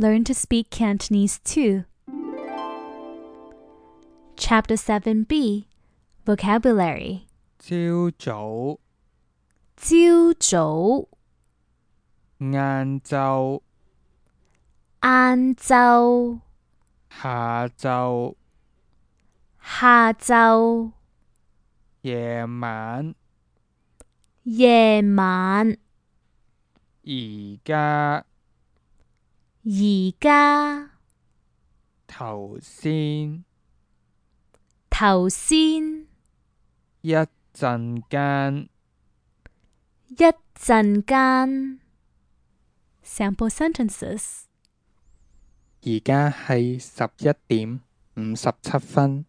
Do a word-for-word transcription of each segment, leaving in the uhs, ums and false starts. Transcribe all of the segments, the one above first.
Learn to speak Cantonese too. Chapter seven B Vocabulary. 朝早、朝早、晏晝、晏晝、下晝、下晝、夜晚、夜晚、而家、而家、頭先、頭先、一陣間。一陣間。Sample sentences. 而家係十一點五十七分。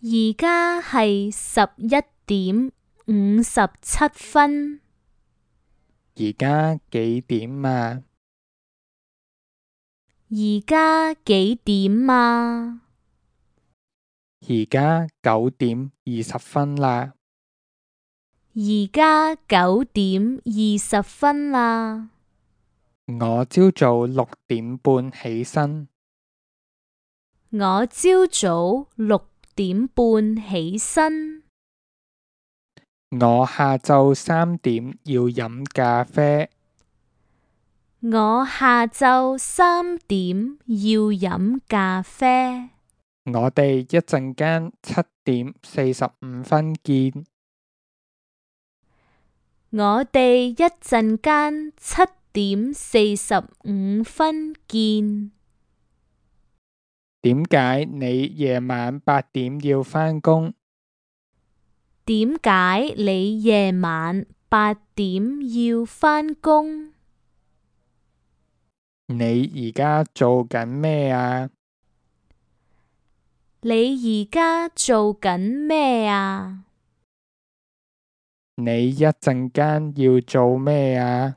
而家係十一點五十七分。而家幾點啊？而家幾點啊？而家九點二十分啦。而家九點二十分啦。我朝早六點半起身。我朝早六點半起身。我下晝三點要飲咖啡。我下晝三點要飲咖啡。我哋一陣間七點四十五分見。我哋一陣間七點四十五分見。點解你夜晚八點要返工？點解你夜晚八點要返工？你而家做緊咩啊？你而家做緊咩啊？你一陣間要做咩啊？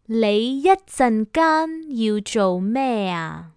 你一陣間要做咩啊？